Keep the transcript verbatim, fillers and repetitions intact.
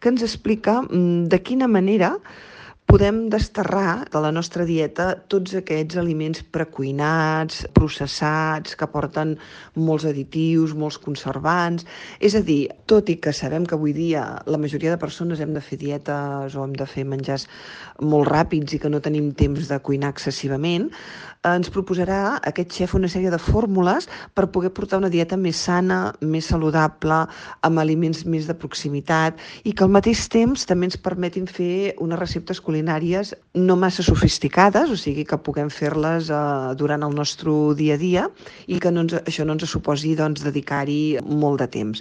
que ens explica mm, de quina manera podem desterrar de la nostra dieta tots aquests aliments precuinats, processats, que porten molts additius, molts conservants. És a dir, tot i que sabem que avui dia la majoria de persones hem de fer dietes o hem de fer menjars molt ràpids i que no tenim temps de cuinar excessivament, ens proposarà aquest xef una sèrie de fórmules per poder portar una dieta més sana, més saludable, amb aliments més de proximitat i que al mateix temps també ens permetin fer unes receptes culinàries no massa sofisticades, o sigui que puguem fer-les eh, durant el nostre dia a dia i que no ens, això no ens suposi doncs, dedicar-hi molt de temps.